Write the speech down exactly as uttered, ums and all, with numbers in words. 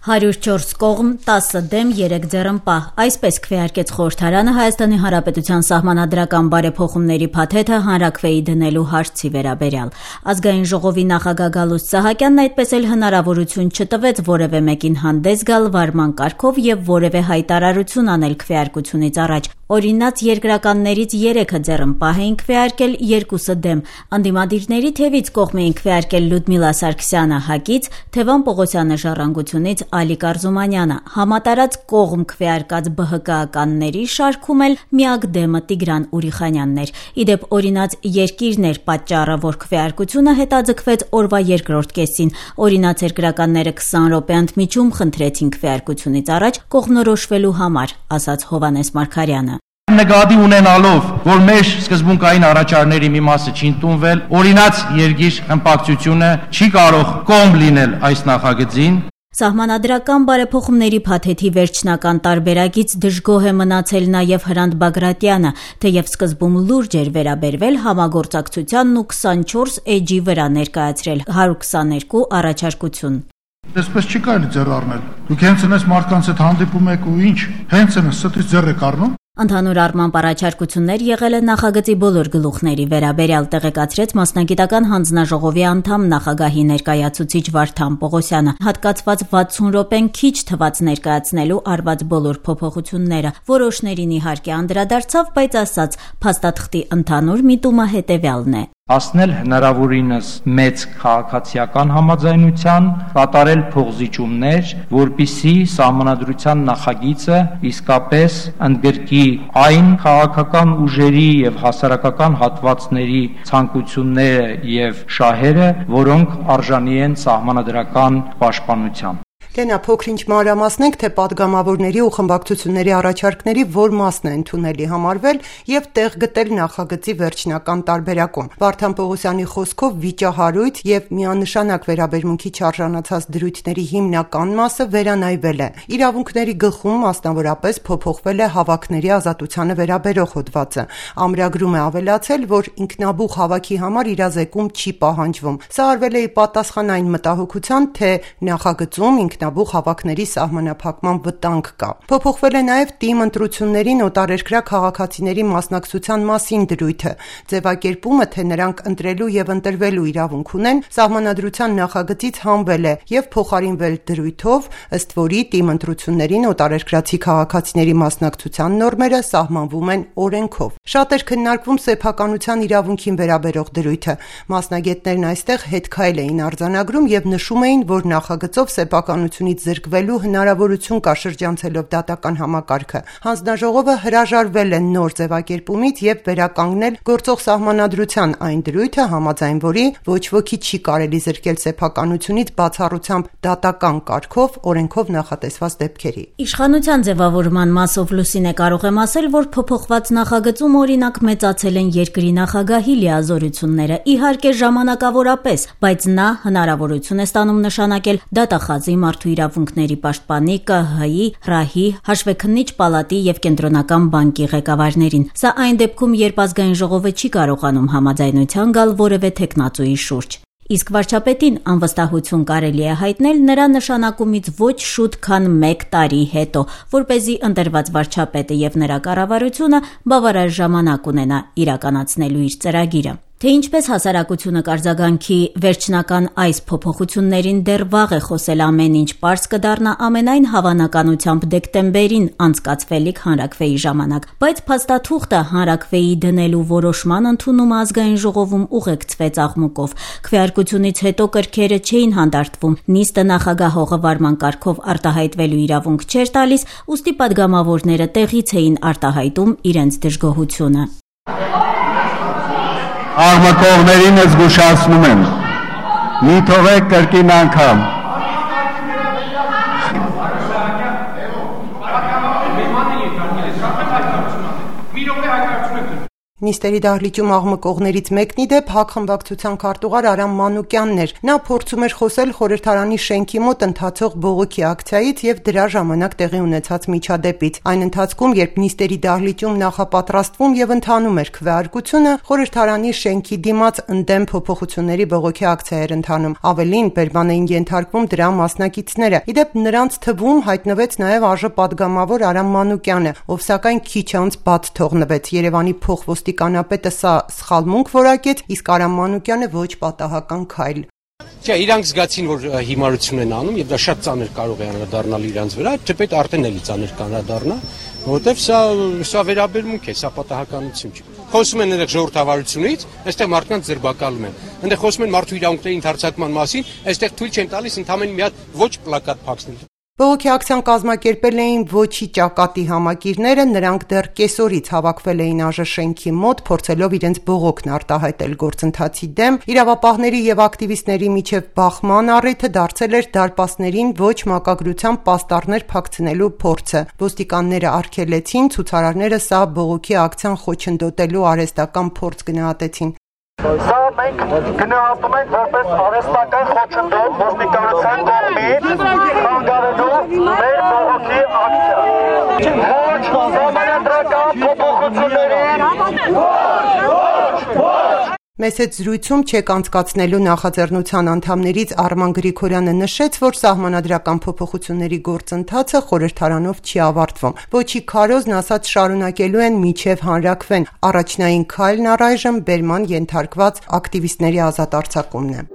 հարյուր չորս կողմ, տասը դեմ, երեք ձեռնպահ։ Այսպես քվեարկեց խորհրդարանը Հայաստանի Հանրապետության սահմանադրական բարեփոխումների փաթեթը հանրաքվեի դնելու հարցի վերաբերյալ։ Ազգային ժողովի նախագահ Գալուստ Սահակյանն այդպես էլ հնարավորություն չտվեց որևէ մեկին հանդես գալ վարման կարգով եւ որևէ հայտարարություն անել քվեարկությունից առաջ։ Օրինաց երկրականներից երեքը ձեռնպահ էին քվեարկել, երկուսը դեմ։ Անդիմադիրների թևից կողմ էին քվեարկել Լյուդմիլա Սարգսյանը ՀԱԿ-ից, Թևան Պողոսյանը Ժառանգությունից, Ալիկ Արզումանյանը, համատարած կողմ քվեարկած ԲՀԿ-ականների շարքում էլ միակ դեմը Տիգրան Ուրիխանյանն էր։ Իդեպ օրինաց երկիրն էր պատճառը, որ քվեարկությունը հետաձգվեց օրվա երկրորդ կեսին։ Օրինաց երկրականները քսան րոպե ընդմիջում խնդրեցին քվեարկությունից առաջ կողմնորոշվելու համար, ասաց Հովհաննես Մարգարյանը։ Նկատի ունենալով, որ մեր սկզբունքային առաջարկների մի մասը չի ընդունվել, օրինաց երկիր ըմպակցությունը չի կարող կողմ լինել այս նախագծին։ Սահմանադրական բարեփոխումների փաթեթի վերջնական տարբերակից դժգոհ է մնացել նաև Հրանտ Բագրատյանը, թեև սկզբում լուրջ էր վերաբերվել համագործակցությանն ու քսանչորս էջի վրա ներկայացրել հարյուր քսաներկու առաջարկություն։ Այսպես չի կարելի ձեռ առնել։ Դուք հենց այնպես մարդկանց հետ հանդիպում եք ու ինչ, հենց այնպես ստից ձեռ եք առնում։ Ընդհանուր առմամբ առաջարկություններ եղել են նախագծի բոլոր գլուխների վերաբերյալ, տեղեկացրեց մասնագիտական հանձնաժողովի անդամ նախագահի ներկայացուցիչ Վարդան Պողոսյանը։ Հատկացված վաթսուն րոպեն քիչ թվաց ներկայացնելու արված բոլոր փոփոխությունները։ Որոշներին իհարկե անդրադարձավ, բայց ասաց, փաստաթղթի ընդհանուր միտումը հետևյալն է. Հասնել հնարավորինս մեծ քաղաքացիական համաձայնության, կատարել փոխզիջումներ, որպիսի սահմանադրության նախագիծը իսկապես ընդգրկի այն քաղաքական ուժերի եւ հասարակական հատվածների ցանկությունները եւ շահերը, որոնք արժանի են սահմանադրական պաշտպանության։ Լենա, փոքր-ինչ մանրամասնենք, թե պատգամավորների ու խմբակցությունների առաջարկների որ մասն է ընդունելի համարվել եւ տեղ գտել նախագծի վերջնական տարբերակում։ Վարդան Պողոսյանի խոսքով վիճահարույց եւ միանշանակ վերաբերմունքի չարժանացած դրույթների հիմնական մասը վերանայվել է։ Իրավունքների գլխում մասնավորապես փոփոխվել է հավաքների ազատությանը վերաբերող հոդվածը։ Ամրագրում է ավելացել, որ ինքնաբուխ հավաքի համար իրազեկում չի պահանջվում։ Սա արվել է ի պատասխան այն մտահոգության, թե նախագծում ինքնաբուխ հավաքների սահմանափակման վտանգ կա։ Փոփոխվել է նաև թիմ ընտրություններին օտարերկրյա քաղաքացիների մասնակցության մասին դրույթը։ Ձևակերպումը, թե նրանք ընտրելու եւ ընտրվելու իրավունք ունեն, սահմանադրության նախագծից հանվել է եւ փոխարինվել դրույթով, ըստ որի թիմ ընտրություններին օտարերկրացի քաղաքացիների մասնակցության նորմերը սահմանվում են օրենքով։ Շատ էր քննարկվում սեփականության իրավունքին վերաբերող դրույթը։ Մասնագետներն այստեղ հետքայլ էին արձանագրում եւ նշում էին, որ նախագծով սեփականությունից զրկվելու հնարավորություն կա շրջանցելով դատական համակարգը։ Հանձնաժողովը հրաժարվել է նոր ձևակերպումից եւ վերականգնել գործող սահմանադրության այն դրույթը, համաձայն որի ոչ ոքի չի կարելի զրկել սեփականությունից բացառությամբ դատական կարգով օրենքով նախատեսված դեպքերի։ Իշխանության ձևավորման մասով Լուսինե կարող եմ ասել, որ փոփոխված նախագծում օրինակ մեծացել են երկրի նախագահի լիազորությունները, իհարկե ժամանակավորապես, բայց նա հնարավորություն է ստանում նշանակել դատախազի մարդու իրավունքների պաշտպանի, ԿՀ-ի, ՀՌԱՀ-ի, Հաշվեկնիչ պալատի եւ Կենտրոնական բանկի ղեկավարներին։ Սա այն դեպքում, երբ ազգային ժողովը չի կարողանում համաձայնության գալ որևէ թեկնածուի շուրջ։ Իսկ վարչապետին անվստահություն կարելի է հայտնել նրա նշանակումից ոչ շուտ, քան մեկ տարի հետո, որպեսզի ընտրված վարչապետը եւ նրա կառավարությունը բավարար ժամանակ ունենա իրականացնելու իր ծրագիրը։ Թե ինչպես հասարակությունը կարձագանքի վերջնական այս փոփոխություններին դեռ վաղ է խոսել ամեն ինչ, պարզ կդառնա ամենայն հավանականությամբ դեկտեմբերին անցկացվելիք հանրաքվեի ժամանակ, բայց փաստաթուղթը հանրաքվեի դնելու որոշման ընդունումը ազգային ժողովում ուղեկցվեց աղմուկով։ Քվեարկությունից հետո կրքերը չէին հանդարտվում, նիստը նախագահողը վարման կարգով արտահայտվելու իրավունք չէր տալիս, ուստի պատգամավորները տեղից էին արտահայտում իրենց դժգոհությունը։ Աղմկողներին զգուշացնում եմ, մի թողեք կրկին անգամ։ Նիստերի դահլիճում աղմկողներից մեկն ի դեպ ՀԱԿ խմբակցության քարտուղար Արամ Մանուկյանն էր։ Նա փորձում էր խոսել խորհրդարանի շենքի մոտ ընթացող բողոքի ակցիայից եւ դրա ժամանակ տեղի ունեցած միջադեպից։ Այն ընթացքում, երբ նիստերի դահլիճում նախապատրաստվում եւ ընթանում էր քվեարկությունը, խորհրդարանի շենքի դիմաց ընդդեմ փոփոխությունների բողոքի ակցիա էր ընթանում։ Ավելին, բերման էին ենթարկվում դրա մասնակիցները։ Ի դեպ նրանց թվում հայտնվեց նաեւ ԱԺ պատգամավոր Արամ Մանուկյանը, ով սակայն քիչ անց բաց թողնվեց։ Երևանի փոխոստիկանապետը սա սխալմունք որակեց, իսկ Արամ Մանուկյանը ոչ պատահական քայլ։ Չէ, իրանք զգացին, որ հիմարություն են անում եւ դա շատ ծանր կարող է անդրադառնալ իրանց վրա, թեպետ արդեն էլի ծանր կանադառնա, որովհետեւ սա սա վերաբերմունք է, սա պատահականություն չի։ Խոսում են այնտեղ ժողովրդավարությունից, այստեղ մարդկանց ձերբակալում են։ Այնտեղ խոսում են մարդու իրավունքների ընդհանրացման մասին, այստեղ թույլ չեն տալիս ընդամենը մի հատ ոչ պլակատ փակցնել։ Բողոքի ակցիան կազմակերպել էին ոչի ճակատի համակիրները, նրանք դեռ կեսօրից հավաքվել էին ԱԺ շենքի մոտ, փորձելով իրենց բողոքն արտահայտել գործընթացի դեմ։ Իրավապահների եւ ակտիվիստների միջև բախման առիթը դարձել էր դարպասներին ոչ մակագրությամբ պաստառներ փակցնելու փորձը։ Ոստիկանները արգելեցին, ցուցարարները սա բողոքի ակցիան խոչընդոտելու արհեստական փորձ գնահատեցին։ Սա մենք գնահատում ենք որպես արհեստական խոչընդոտ ոստիկանության կողմից խանգարելու մեր բողոքի ակցիա։ Ոչ համանդրական փոփոխություններին, ոչ, ոչ։ Մեծ հետ զրույցում չեք անցկացնելու նախաձեռնության անդամներից Արման Գրիգորյանը նշեց, որ սահմանադրական փոփոխությունների գործընթացը խորհրդարանով չի ավարտվում։ Ոչի քարոզն ասած շարունակելու են մինչև հանրաքվեն։ Առաջնային քայլն առայժմ բերման ենթարկված ակտիվիստների ազատ արձակումն է։